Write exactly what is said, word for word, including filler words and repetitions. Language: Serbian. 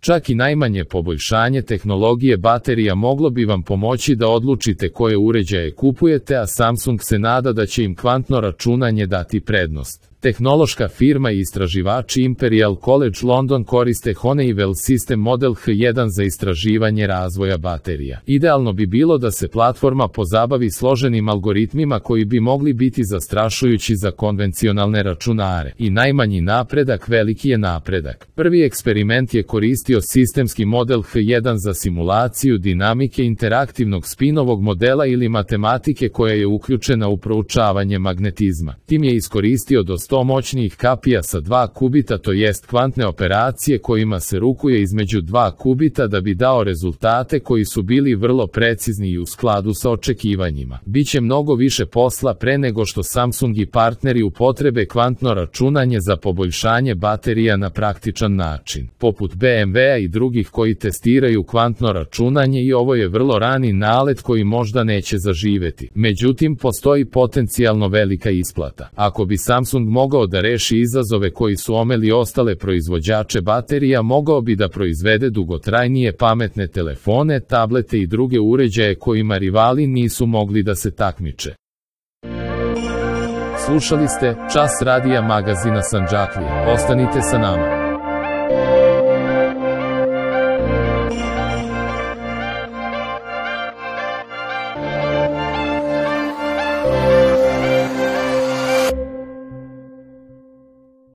Čak i najmanje poboljšanje tehnologije baterija moglo bi vam pomoći da odlučite koje uređaje kupujete, a Samsung se nada da će im kvantno računanje dati prednost. Tehnološka firma i istraživači Imperial College London koriste Honeywell System Model H jedan za istraživanje razvoja baterija. Idealno bi bilo da se platforma pozabavi složenim algoritmima koji bi mogli biti zastrašujući za konvencionalne računare. I najmanji napredak veliki je napredak. Prvi eksperiment je koristio sistemski model H jedan za simulaciju dinamike interaktivnog spinovog modela ili matematike koja je uključena u proučavanje magnetizma. Tim je iskoristio do sto moćnijih kapija sa dva kubita, to jest kvantne operacije kojima se rukuje između dva kubita da bi dao rezultate koji su bili vrlo precizni i u skladu sa očekivanjima. Biće mnogo više posla pre nego što Samsung i partneri upotrebe kvantno računanje za poboljšanje baterija na praktičan način, poput B M W-a i drugih koji testiraju kvantno računanje, i ovo je vrlo rani nalet koji možda neće zaživeti. Međutim, postoji potencijalno velika isplata. Ako bi Samsung mogao da reši izazove koji su omeli ostale proizvođače baterija, mogao bi da proizvede dugotrajnije pametne telefone, tablete i druge uređaje kojima rivali nisu mogli da se takmiče. Slušali ste Čas radija magazina Sandžaklija. Ostanite sa nama.